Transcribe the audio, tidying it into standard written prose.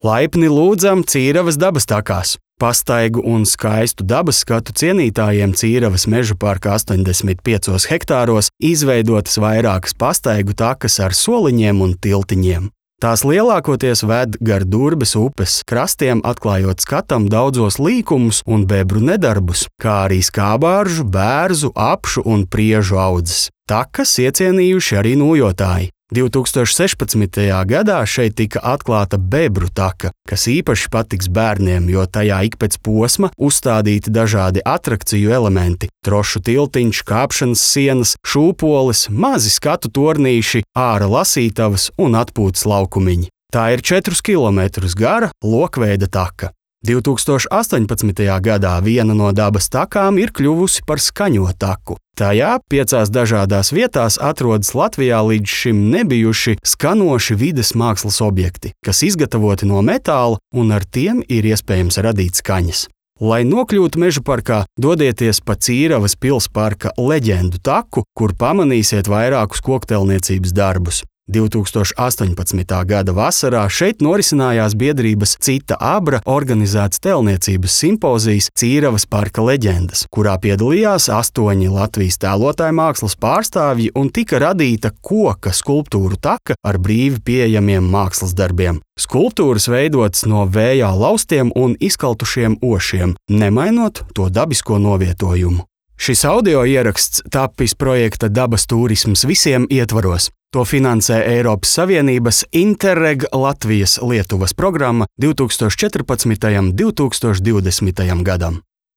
Laipni lūdzam Cīravas dabas takās. Pastaigu un skaistu dabas skatu cienītājiem Cīravas meža parka 85 hektāros izveidotas vairākas pastaigu takas ar soliņiem un tiltiņiem. Tās lielākoties ved gar Durbes upes krastiem, atklājot skatam daudzos līkumus un bebru nedarbus, kā arī skābāržu, bērzu, apšu un priežu audzes. Takas iecienījuši arī nojotāji. 2016. gadā šeit tika atklāta bebru taka, kas īpaši patiks bērniem, jo tajā ik pēc posma uzstādīti dažādi atrakciju elementi – trošu tiltiņš, kāpšanas sienas, šūpoles, mazi skatu tornīši, āra lasītavas un atpūtas laukumiņi. Tā ir 4 kilometrus gara lokveida taka. 2018. gadā viena no dabas takām ir kļuvusi par skaņo taku. Tajā 5 dažādās vietās atrodas Latvijā līdz šim nebijuši skanoši vides mākslas objekti, kas izgatavoti no metāla un ar tiem ir iespējams radīt skaņas. Lai nokļūtu meža parkā, dodieties pa Cīravas pilsparka leģendu taku, kur pamanīsiet vairākus kokteilniecības darbus. 2018. gada vasarā šeit norisinājās biedrības Cita Abra organizēts tēlniecības simpozijas Cīravas parka leģendas, kurā piedalījās 8 Latvijas tēlotāju mākslas pārstāvji un tika radīta koka skulptūru taka ar brīvi pieejamiem mākslas darbiem. Skulptūras veidotas no vējā laustiem un izkaltušiem ošiem, nemainot to dabisko novietojumu. Šis audio ieraksts tapis projekta Dabas turisms visiem ietvaros. To finansē Eiropas Savienības Interreg Latvijas-Lietuvas programma 2014. un 2020. gadam.